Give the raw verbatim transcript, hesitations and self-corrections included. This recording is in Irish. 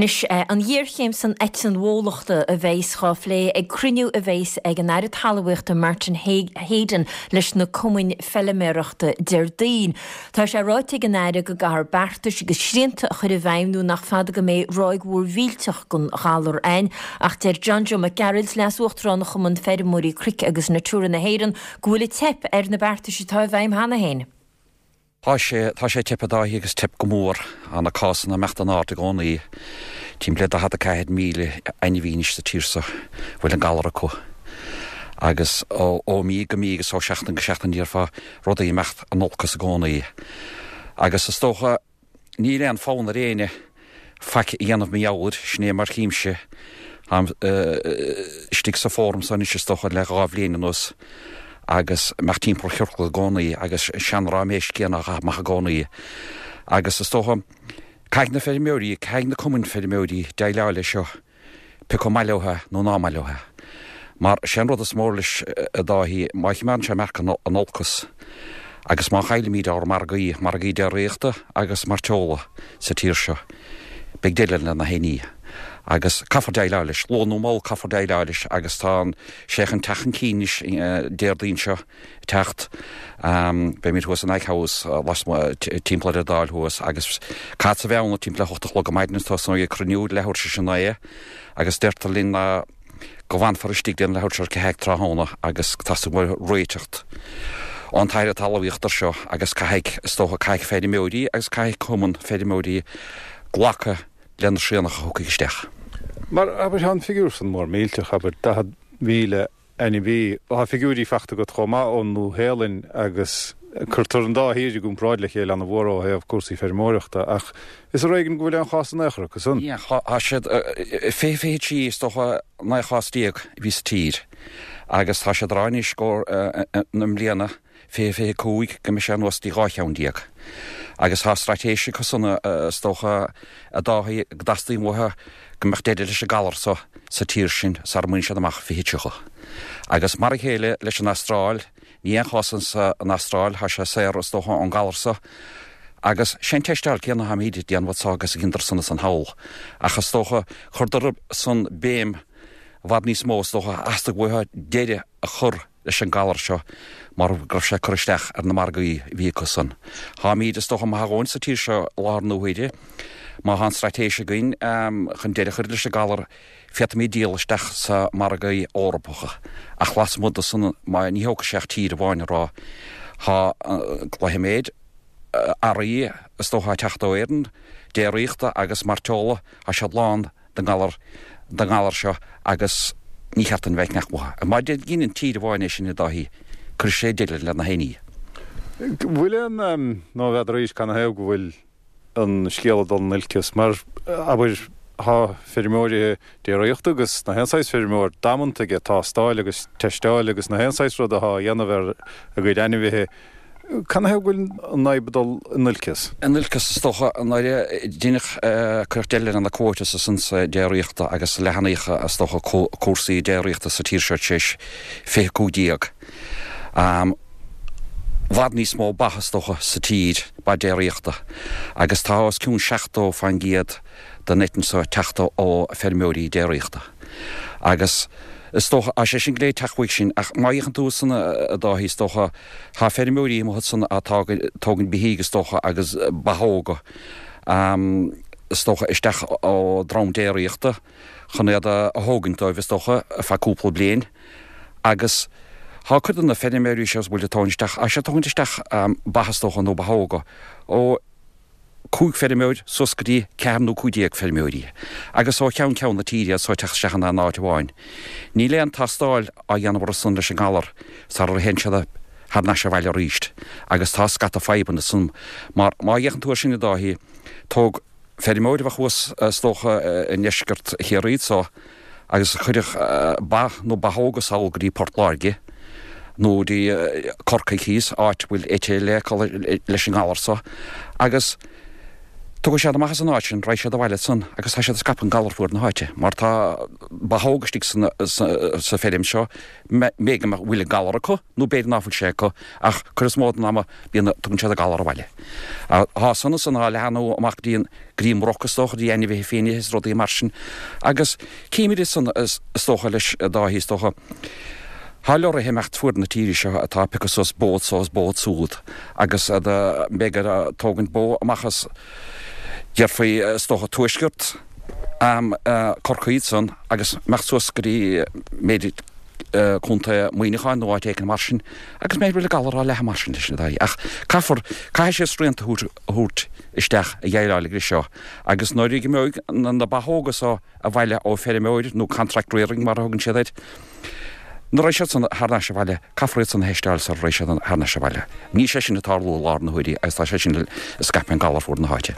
Anois an ghéarchéim san eitinn bhólachta a bheas á phlé ag cruinniú a bheas ag an Aire Talmhaíochta Martin Heydon leis na cumainn feilméarachta Déardaoin. Tá sé ráite ag an Aire go gcaithfear beartais agus srianta a chur i bhfeidhm nó nach fada go mbeidh ráig mhór mhillteach den ghalar ann, ach deir John Joe Mac Gearailt leas-uachtarán Chumann Feirmeoirí Cnoic agus Natura na hÉireann go bhfuil ag teip ar na beartais atá i bhfeidhm cheana féin. Tá sé tá sé teip a Dháithí agus teip go mór tá na cásanna ag imeacht in airde i gcónaí. Timpeall le daichead a ceathair míle ainmhí anois sa tír seo bhfuil an galar acu. Agus ó ó mí go mí agus ó seachtain go seachtain déarfá rudaí ag imeacht in olcas i gcónaí. Agus is dócha níl aon fonn ar éinne faic a dhéanamh mar gheall air, sin é mar chímse istigh sa fóram seo anois is dócha le dhá bhliain anuas agus imeacht timpeall ciorcal i gcónaí agus sean-ráiméis céanna á chaitheamh amach i gcónaí. Agus is dócha caithfidh na feirmeoirí, caithfidh na cumainn feirmeoirí déileáil leis seo, pé acu maith leo é nó ná maith leo é. Mar sé an rud is mór leis a Dháithí, má choimeádann sé ag imeacht in olcas agus má chaillimid ár margaí, margaí déiríochta agus mairteola sa tír seo, beidh deireadh le na héinní. Agus caithfear déileáil leis, luath nó mall caithfear déileáil leis agus tá sé chun teacht chun cinn anois Déardaoin seo teacht. Beimid thuas in Ag House lasmuigh timpeall ar an Dáil thuas agus caithfeadsa a bheith ann timpeall le hocht a chlog ar maidin agus tosnóidh ag cruinniú leathuair tar éis a naoi agus deirtear linn ná go bhfanfar istigh dtí an leathuair tar éis a ceathair tráthnóna agus teastaíonn réiteach ón tAire Talmhaíochta air seo agus caithfidh, is dócha, caithfidh feirmeoirí agus caithfidh cumann feirmeoirí glacadh le na srianta a thiocfaidh isteach. Mar abair tá an figiúr san mór millteach, abair daichead míle ainmhí. Tá figiúirí faighte agat chomh maith ón Nua-Shéalainn agus cuirtear an dá thír i gcomparáid le chéile an-mhór ó thaobh cúrsaí feirmeoireachta ach is ar éigean go bhfuil aon chás in aon chor acu san. Tá siad fiche fiche trí is dócha naoi chás déag a bhí sa tír agus tá siad ag rá anois go na mbliana fiche fiche cúig go mbeidh sé anuas dtí dhá cheann déag. Agus tá straitéis acu san is dócha a Dháithí go dteastaíonn uathu go mbeadh deireadh leis an galar so sa tír sin sara mbaineann siad amach fiche tríocha. Agus mar a chéile leis an Astráil, ní aon chás san Astráil, tá sé saor is dócha ón galar so agus sé an teisteáil céanna atáimid ag déanamh anso agus a dheineadar san ansan thall. Ach is dócha chuireadar san béim i bhfad níos mó is dócha theastaigh uathu deireadh a chur leis an galar seo mar go raibh sé ag cur isteach ar na margaí a bhí acu san. Táimid is dócha maith a dhóthain sa tír seo i láthair na huaire. Má tá an straitéis againn chun deireadh a chur leis an galar féadfaimid díol isteach sa margaí Eorpacha ach lasmuigh de san má ní thógfaidh sé ach tír amháin a rá tá cloífimid earraí is dócha ag teacht ó Éirinn, déiríochta agus mairteola, tá siad lán den ngalar den ngalar seo agus ní cheart dúinn bheith ag ceannach uathu. Má dheineann tír amháin é sin a Dháithí, cuirfidh sé deireadh le na héinní. Bhfuil aon, nó n'fheadar arís canathaobh go bhfuil an scéal ag dul in olcas, mar abair tá feirmeoirí déiríochta agus na haon saghas feirmeoir damanta ag tástáil agus teisteáil agus na haon saghas rud atá á dhéanamh ar a gcuid ainmhithe. Canathaobh go bhfuil an fhadhb ag dul in olcas? In olcas is dócha nuair a deineadh cuireadh deireadh le na quotas ansan sa déiríochta agus leathnaíodh is dócha cúrsaí déiríochta sa tír seo tar éis fiche cúig déag. I bhfad níos mó ba is dócha sa tír, ba déiríochta, agus tá os cionn seachtó faoin gcéad den eitinn seo ag teacht ó feirmeoirí déiríochta. Agus is dócha, tá sé sin go léir ag teacht uaidh sin, ach má fhéachann tú ansan a Dháithí, is dócha, tá feirmeoirí amuigh ansan atá ag tógaint beithígh is dócha agus ba óga, is dócha, isteach ó dream déiríochta chun iad a thógaint dóibh is dócha ar feadh cúpla bliain agus tá cuid de na feirmeoirí seo a bhfuil ag tógaint isteach, tá siad ag tógaint isteach ba is dócha nó ba óga ó cúig feirmeoir suas go dtí ceathair nó cúig déag feirmeoirí, agus ó cheann ceann na tíre iad so ag teacht isteach in aon áit amháin. Níl aon tástáil á dhéanamh orthu san leis an ngalar sara théann siad thar n-ais abhaile arís, agus tá scata fadhbanna ansan mar má fhéachann tú air sin a Dháithí, tóg feirmeoir a bheadh thuas is dócha i ndeisceart Chiarraí anso agus a chuirfeadh ba nó ba óga sall go dtí Port Láirge nó go dtí Corcaigh thíos, áit a bhfuil eite le leis an ngalar so, agus Tiocfaidh siad amach as an áit sin, raghaidh siad abhaile ansan agus tá siad ag scaipeadh an galar fuaid na háite, mar tá ba óga istigh sa feirm seo, b'fhéidir go bhfuil an galar acu nó b'fhéidir ná fuil sé acu, ach cuid is mó den ama bíonn, tugann siad an galar abhaile. Tá san ansan á leathnú amach go dtí an, go dtí an mbroc is dócha, go dtí ainmhithe fiaine is rudaí mar sin agus címid ansan is dócha leis a Dáithí is dócha. Tá leoraithe ag imeacht fuaid na tíre seo atá ag piocadh suas bó anso is bó ansúd agus iad b'fhéidir ag tógaint bó amach as déarfaí is dócha tuaisceart Chorcaí ansan agus imeacht suas go dtí b'fhéidir Contae Mhuineacháin nó áit éicint mar sin agus b'fhéidir go bhfuil an galar á leathadh mar sin leis na daoine ach caithfear caithfidh siad srianta a thabhairt isteach a dhéileáil leis seo agus nuair a imeoidh na ba óga so abhaile ó feirmeoir nó contract rearing mar a thugann siad air. Nuair a raghaidh siad san thar n-ais abhaile, caithfear iad san a theisteáil sara raghaidh siad thar n-ais abhaile. Níl sé sin ag tarlú i láthair na huaire agus tá sé sin ag scaipeadh an galar fuaid na háite.